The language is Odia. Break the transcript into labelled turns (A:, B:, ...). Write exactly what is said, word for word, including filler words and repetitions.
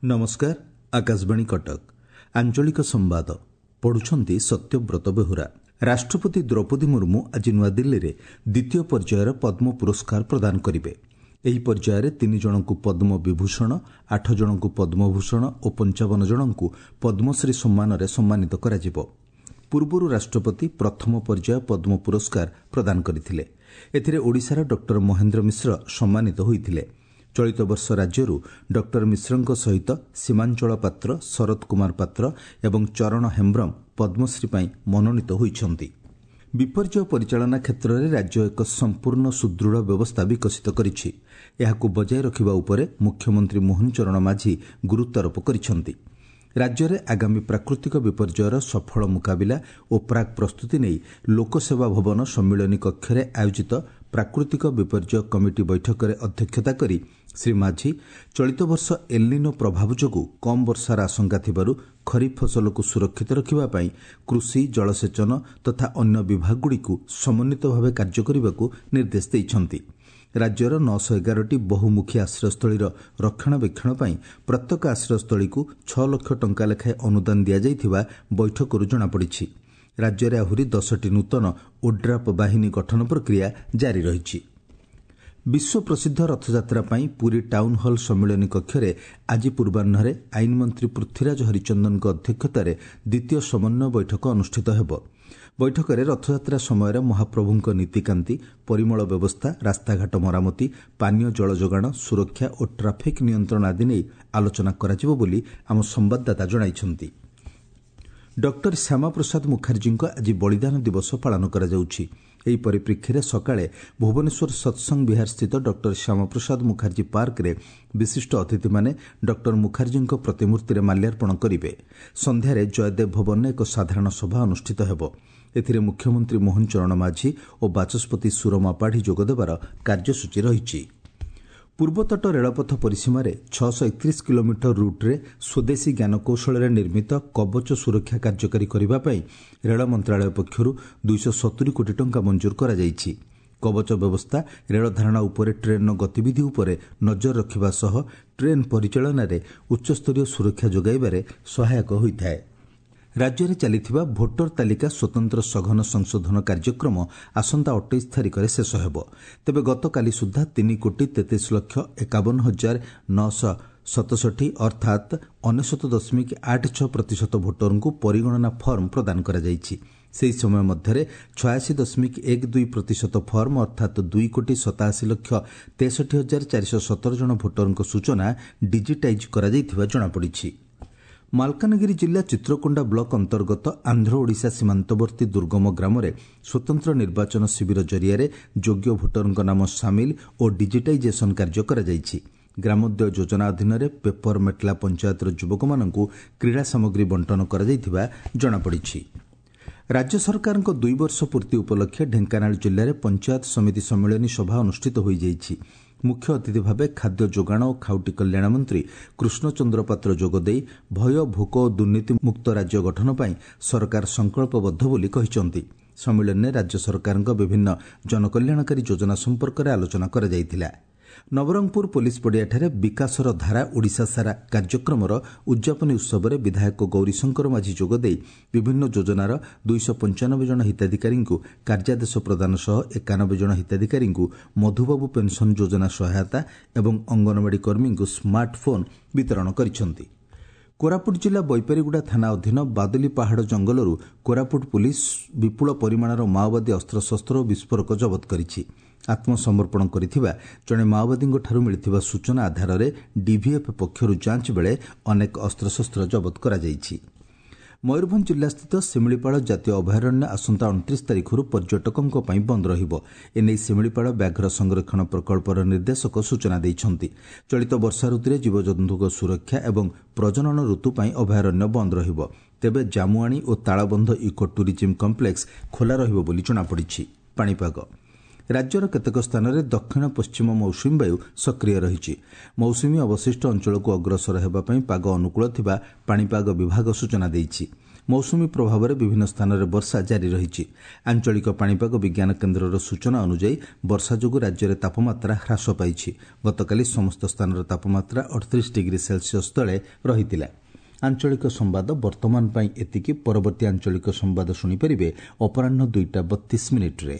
A: ନମସ୍କାର, ଆକାଶବାଣୀ କଟକ, ଆଞ୍ଚଳିକ ସମ୍ବାଦ ପଢୁଛନ୍ତି ସତ୍ୟବ୍ରତ ବେହୁରା। ରାଷ୍ଟ୍ରପତି ଦ୍ରୌପଦୀ ମୁର୍ମୁ ଆଜି ନୂଆଦିଲ୍ଲୀରେ ଦ୍ୱିତୀୟ ପର୍ଯ୍ୟାୟର ପଦ୍ମ ପୁରସ୍କାର ପ୍ରଦାନ କରିବେ। ଏହି ପର୍ଯ୍ୟାୟରେ ତିନି ଜଣଙ୍କୁ ପଦ୍ମ ବିଭୂଷଣ, ଆଠ ଜଣଙ୍କୁ ପଦ୍ମଭୂଷଣ ଓ ପଞ୍ଚାବନ ଜଣଙ୍କୁ ପଦ୍ମଶ୍ରୀ ସମ୍ମାନରେ ସମ୍ମାନିତ କରାଯିବ। ପୂର୍ବରୁ ରାଷ୍ଟ୍ରପତି ପ୍ରଥମ ପର୍ଯ୍ୟାୟ ପଦ୍ମ ପୁରସ୍କାର ପ୍ରଦାନ କରିଥିଲେ। ଏଥିରେ ଓଡ଼ିଶାର ଡକ୍ଟର ମହେନ୍ଦ୍ର ମିଶ୍ର ସମ୍ମାନିତ ହୋଇଥିଲେ। ଚଳିତ ବର୍ଷ ରାଜ୍ୟରୁ ଡକ୍ଟର ମିଶ୍ରଙ୍କ ସହିତ ସୀମାଞ୍ଚଳ ପାତ୍ର, ଶରତ କୁମାର ପାତ୍ର ଏବଂ ଚରଣ ହେମ୍ବ୍ରମ ପଦ୍ମଶ୍ରୀ ପାଇଁ ମନୋନୀତ ହୋଇଛନ୍ତି। ବିପର୍ଯ୍ୟୟ ପରିଚାଳନା କ୍ଷେତ୍ରରେ ରାଜ୍ୟ ଏକ ସମ୍ପୂର୍ଣ୍ଣ ସୁଦୃଢ଼ ବ୍ୟବସ୍ଥା ବିକଶିତ କରିଛି। ଏହାକୁ ବଜାୟ ରଖିବା ଉପରେ ମୁଖ୍ୟମନ୍ତ୍ରୀ ମୋହନ ଚରଣ ମାଝୀ ଗୁରୁତ୍ୱାରୋପ କରିଛନ୍ତି। ରାଜ୍ୟରେ ଆଗାମୀ ପ୍ରାକୃତିକ ବିପର୍ଯ୍ୟୟର ସଫଳ ମୁକାବିଲା ଓ ପ୍ରାକ୍ ପ୍ରସ୍ତୁତି ନେଇ ଲୋକସେବା ଭବନ ସମ୍ମିଳନୀ କକ୍ଷରେ ଆୟୋଜିତ ପ୍ରାକୃତିକ ବିପର୍ଯ୍ୟୟ କମିଟି ବୈଠକରେ ଅଧ୍ୟକ୍ଷତା କରି ଶ୍ରୀ ମାଝୀ ଚଳିତ ବର୍ଷ ଏଲ୍ନିନୋ ପ୍ରଭାବ ଯୋଗୁଁ କମ୍ ବର୍ଷାର ଆଶଙ୍କା ଥିବାରୁ ଖରିଫ ଫସଲକୁ ସୁରକ୍ଷିତ ରଖିବା ପାଇଁ କୃଷି, ଜଳସେଚନ ତଥା ଅନ୍ୟ ବିଭାଗଗୁଡ଼ିକୁ ସମନ୍ୱିତ ଭାବେ କାର୍ଯ୍ୟ କରିବାକୁ ନିର୍ଦ୍ଦେଶ ଦେଇଛନ୍ତି। ରାଜ୍ୟର ନଅଶହ ଏଗାରଟି ବହୁମୁଖୀ ଆଶ୍ରୟସ୍ଥଳୀର ରକ୍ଷଣାବେକ୍ଷଣ ପାଇଁ ପ୍ରତ୍ୟେକ ଆଶ୍ରୟସ୍ଥଳୀକୁ ଛଅ ଲକ୍ଷ ଟଙ୍କା ଲେଖାଏଁ ଅନୁଦାନ ଦିଆଯାଇଥିବା ବୈଠକରୁ ଜଣାପଡ଼ିଛି। ରାଜ୍ୟରେ ଆହୁରି ଦଶଟି ନୂତନ ଓଡ୍ରାପ୍ ବାହିନୀ ଗଠନ ପ୍ରକ୍ରିୟା ଜାରି ରହିଛି। ବିଶ୍ୱ ପ୍ରସିଦ୍ଧ ରଥଯାତ୍ରା ପାଇଁ ପୁରୀ ଟାଉନ୍ ହଲ୍ ସମ୍ମିଳନୀ କକ୍ଷରେ ଆଜି ପୂର୍ବାହ୍ନରେ ଆଇନମନ୍ତ୍ରୀ ପୃଥ୍ୱୀରାଜ ହରିଚନ୍ଦନଙ୍କ ଅଧ୍ୟକ୍ଷତାରେ ଦ୍ୱିତୀୟ ସମନ୍ୱୟ ବୈଠକ ଅନୁଷ୍ଠିତ ହେବ। ବୈଠକରେ ରଥଯାତ୍ରା ସମୟରେ ମହାପ୍ରଭୁଙ୍କ ନୀତିକାନ୍ତି, ପରିମଳ ବ୍ୟବସ୍ଥା, ରାସ୍ତାଘାଟ ମରାମତି, ପାନୀୟ ଜଳ ଯୋଗାଣ, ସୁରକ୍ଷା ଓ ଟ୍ରାଫିକ୍ ନିୟନ୍ତ୍ରଣ ଆଦି ନେଇ ଆଲୋଚନା କରାଯିବ ବୋଲି ଆମ ସମ୍ବାଦଦାତା ଜଣାଇଛନ୍ତି। ଡକ୍ଟର ଶ୍ୟାମାପ୍ରସାଦ ମୁଖାର୍ଜୀଙ୍କ ଆଜି ବଳିଦାନ ଦିବସ ପାଳନ କରାଯାଉଛି। ଏହି ପରିପ୍ରେକ୍ଷୀରେ ସକାଳେ ଭୁବନେଶ୍ୱର ସତ୍ସଙ୍ଗ ବିହାରସ୍ଥିତ ଡକ୍ଟର ଶ୍ୟାମାପ୍ରସାଦ ମୁଖାର୍ଜୀ ପାର୍କରେ ବିଶିଷ୍ଟ ଅତିଥିମାନେ ଡକ୍ଟର ମୁଖାର୍ଜୀଙ୍କ ପ୍ରତିମୂର୍ତ୍ତିରେ ମାଲ୍ୟାର୍ପଣ କରିବେ। ସନ୍ଧ୍ୟାରେ ଜୟଦେବ ଭବନରେ ଏକ ସାଧାରଣ ସଭା ଅନୁଷ୍ଠିତ ହେବ। ଏଥିରେ ମୁଖ୍ୟମନ୍ତ୍ରୀ ମୋହନ ଚରଣ ମାଝୀ ଓ ବାଚସ୍ପତି ସୁରମା ପାଢ଼ୀ ଯୋଗଦେବାର କାର୍ଯ୍ୟସୂଚୀ ରହିଛି। ପୂର୍ବତଟ ରେଳପଥ ପରିସୀମାରେ ଛଅଶହ ଏକତିରିଶ କିଲୋମିଟର ରୁଟ୍ରେ ସ୍ୱଦେଶୀ ଜ୍ଞାନକୌଶଳରେ ନିର୍ମିତ କବଚ ସୁରକ୍ଷା କାର୍ଯ୍ୟକାରୀ କରିବା ପାଇଁ ରେଳ ମନ୍ତ୍ରଣାଳୟ ପକ୍ଷରୁ ଦୁଇଶହ ସତୁରି କୋଟି ଟଙ୍କା ମଞ୍ଜୁର କରାଯାଇଛି। କବଚ ବ୍ୟବସ୍ଥା ରେଳଧାରଣା ଉପରେ ଟ୍ରେନ୍ର ଗତିବିଧି ଉପରେ ନଜର ରଖିବା ସହ ଟ୍ରେନ୍ ପରିଚାଳନାରେ ଉଚ୍ଚସ୍ତରୀୟ ସୁରକ୍ଷା ଯୋଗାଇବାରେ ସହାୟକ ହୋଇଥାଏ। ରାଜ୍ୟରେ ଚାଲିଥିବା ଭୋଟର ତାଲିକା ସ୍ୱତନ୍ତ୍ର ସଘନ ସଂଶୋଧନ କାର୍ଯ୍ୟକ୍ରମ ଆସନ୍ତା ଅଠେଇଶ ତାରିଖରେ ଶେଷ ହେବ। ତେବେ ଗତକାଲି ସୁଦ୍ଧା ତିନି କୋଟି ତେତିଶ ଲକ୍ଷ ଏକାବନ ହଜାର ନଅଶହ ସତଷଠି ଅର୍ଥାତ୍ ଅନେଶତ ଦଶମିକ ଆଠ ଛଅ ପ୍ରତିଶତ ଭୋଟରଙ୍କୁ ପରିଗଣନା ଫର୍ମ ପ୍ରଦାନ କରାଯାଇଛି। ସେହି ସମୟ ମଧ୍ୟରେ ଛୟାଅଶୀ ଦଶମିକ ଏକ ଦୁଇ ପ୍ରତିଶତ ଫର୍ମ ଅର୍ଥାତ୍ ଦୁଇ କୋଟି ସତାଅଶୀ ଲକ୍ଷ ତେଷଠି ହଜାର ଚାରିଶହ ସତର ଜଣ ଭୋଟରଙ୍କ ସୂଚନା ଡିଜିଟାଇଜ୍ କରାଯାଇଥିବା ଜଣାପଡ଼ିଛି। ମାଲକାନଗିରି ଜିଲ୍ଲା ଚିତ୍ରକୋଣ୍ଡା ବ୍ଲକ ଅନ୍ତର୍ଗତ ଆନ୍ଧ୍ର ଓଡ଼ିଶା ସୀମାନ୍ତବର୍ତ୍ତୀ ଦୁର୍ଗମ ଗ୍ରାମରେ ସ୍ୱତନ୍ତ୍ର ନିର୍ବାଚନ ଶିବିର ଜରିଆରେ ଯୋଗ୍ୟ ଭୋଟରଙ୍କ ନାମ ସାମିଲ ଓ ଡିଜିଟାଇଜେସନ କାର୍ଯ୍ୟ କରାଯାଇଛି। ଗ୍ରାମୋଦୟ ଯୋଜନା ଅଧୀନରେ ପେପର ମେଟଲା ପଞ୍ଚାୟତର ଯୁବକମାନଙ୍କୁ କ୍ରୀଡ଼ା ସାମଗ୍ରୀ ବଣ୍ଟନ କରାଯାଇଥିବା ଜଣାପଡ଼ିଛି। ରାଜ୍ୟ ସରକାରଙ୍କ ଦୁଇ ବର୍ଷ ପୂର୍ତ୍ତି ଉପଲକ୍ଷେ ଢେଙ୍କାନାଳ ଜିଲ୍ଲାରେ ପଞ୍ଚାୟତ ସମିତି ସମ୍ମିଳନୀ ସଭା ଅନୁଷ୍ଠିତ ହୋଇଯାଇଛି। ମୁଖ୍ୟ ଅତିଥି ଭାବେ ଖାଦ୍ୟ ଯୋଗାଣ ଓ ଖାଉଟି କଲ୍ୟାଣ ମନ୍ତ୍ରୀ କୃଷ୍ଣଚନ୍ଦ୍ର ପାତ୍ର ଯୋଗଦେଇ ଭୟ, ଭୋକ ଓ ଦୁର୍ନୀତିମୁକ୍ତ ରାଜ୍ୟ ଗଠନ ପାଇଁ ସରକାର ସଂକଳ୍ପବଦ୍ଧ ବୋଲି କହିଛନ୍ତି। ସମ୍ମିଳନୀରେ ରାଜ୍ୟ ସରକାରଙ୍କ ବିଭିନ୍ନ ଜନକଲ୍ୟାଣକାରୀ ଯୋଜନା ସମ୍ପର୍କରେ ଆଲୋଚନା କରାଯାଇଥିଲା। ନବରଙ୍ଗପୁର ପୋଲିସ ପଡ଼ିଆଠାରେ ବିକାଶର ଧାରା ଓଡ଼ିଶା ସାରା କାର୍ଯ୍ୟକ୍ରମର ଉଦ୍ଯାପନୀ ଉତ୍ସବରେ ବିଧାୟକ ଗୌରୀଶଙ୍କର ମାଝୀ ଯୋଗଦେଇ ବିଭିନ୍ନ ଯୋଜନାର ଦୁଇଶହ ପଞ୍ଚାନବେ ଜଣ ହିତାଧିକାରୀଙ୍କୁ କାର୍ଯ୍ୟାଦେଶ ପ୍ରଦାନ ସହ ଏକାନବେ ଜଣ ହିତାଧିକାରୀଙ୍କୁ ମଧୁବାବୁ ପେନ୍ସନ୍ ଯୋଜନା ସହାୟତା ଏବଂ ଅଙ୍ଗନବାଡ଼ି କର୍ମୀଙ୍କୁ ସ୍ମାର୍ଟ ଫୋନ୍ ବିତରଣ କରିଛନ୍ତି। କୋରାପୁଟ ଜିଲ୍ଲା ବୈପାରିଗୁଡ଼ା ଥାନା ଅଧୀନ ବାଦଲି ପାହାଡ଼ ଜଙ୍ଗଲରୁ କୋରାପୁଟ ପୁଲିସ୍ ବିପୁଳ ପରିମାଣର ମାଓବାଦୀ ଅସ୍ତ୍ରଶସ୍ତ୍ର ଓ ବିସ୍ଫୋରକ ଜବତ କରିଛି। ଆତ୍ମସମର୍ପଣ କରିଥିବା ଜଣେ ମାଓବାଦୀଙ୍କଠାରୁ ମିଳିଥିବା ସୂଚନା ଆଧାରରେ ଡିଭିଏଫ୍ ପକ୍ଷରୁ ଯାଞ୍ଚ ବେଳେ ଅନେକ ଅସ୍ତ୍ରଶସ୍ତ୍ର ଜବତ କରାଯାଇଛି। ମୟୂରଭଞ୍ଜ ଜିଲ୍ଲାସ୍ଥିତ ଶିମିଳିପାଳ ଜାତୀୟ ଅଭୟାରଣ୍ୟ ଆସନ୍ତା ଅଣତିରିଶ ତାରିଖରୁ ପର୍ଯ୍ୟଟକଙ୍କ ପାଇଁ ବନ୍ଦ ରହିବ। ଏନେଇ ଶିମିଳିପାଳ ବ୍ୟାଘ୍ର ସଂରକ୍ଷଣ ପ୍ରକଳ୍ପର ନିର୍ଦ୍ଦେଶକ ସୂଚନା ଦେଇଛନ୍ତି। ଚଳିତ ବର୍ଷା ଋତୁରେ ଜୀବଜନ୍ତୁଙ୍କ ସୁରକ୍ଷା ଏବଂ ପ୍ରଜନନ ଋତୁ ପାଇଁ ଅଭୟାରଣ୍ୟ ବନ୍ଦ ରହିବ। ତେବେ ଜାମୁଆଣି ଓ ତାଳବନ୍ଧ ଇକୋ ଟୁରିଜିମ୍ କମ୍ପ୍ଲେକ୍ସ ଖୋଲା ରହିବ ବୋଲି ଜଣାପଡ଼ିଛି। ପାଣିପାଗ ରାଜ୍ୟର କେତେକ ସ୍ଥାନରେ ଦକ୍ଷିଣ ପଶ୍ଚିମ ମୌସୁମୀ ବାୟୁ ସକ୍ରିୟ ରହିଛି। ମୌସୁମୀ ଅବଶିଷ୍ଟ ଅଞ୍ଚଳକୁ ଅଗ୍ରସର ହେବା ପାଇଁ ପାଗ ଅନୁକୂଳ ଥିବା ପାଣିପାଗ ବିଭାଗ ସୂଚନା ଦେଇଛି। ମୌସୁମୀ ପ୍ରଭାବରେ ବିଭିନ୍ନ ସ୍ଥାନରେ ବର୍ଷା ଜାରି ରହିଛି। ଆଞ୍ଚଳିକ ପାଣିପାଗ ବିଜ୍ଞାନ କେନ୍ଦ୍ରର ସୂଚନା ଅନୁଯାୟୀ, ବର୍ଷା ଯୋଗୁ ରାଜ୍ୟରେ ତାପମାତ୍ରା ହ୍ରାସ ପାଇଛି। ଗତକାଲି ସମସ୍ତ ସ୍ଥାନର ତାପମାତ୍ରା ଅଠତିରିଶି ଡିଗ୍ରୀ ସେଲସିୟସ୍ ତଳେ ରହିଥିଲା। ଆଞ୍ଚଳିକ ସମ୍ବାଦ ବର୍ତ୍ତମାନ ପାଇଁ ଏତିକି। ପରବର୍ତ୍ତୀ ଆଞ୍ଚଳିକ ସମ୍ବାଦ ଶୁଣିପାରିବେ ଅପରାହ୍ନ ଦୁଇଟା ବତିଶ ମିନିଟ୍ରେ।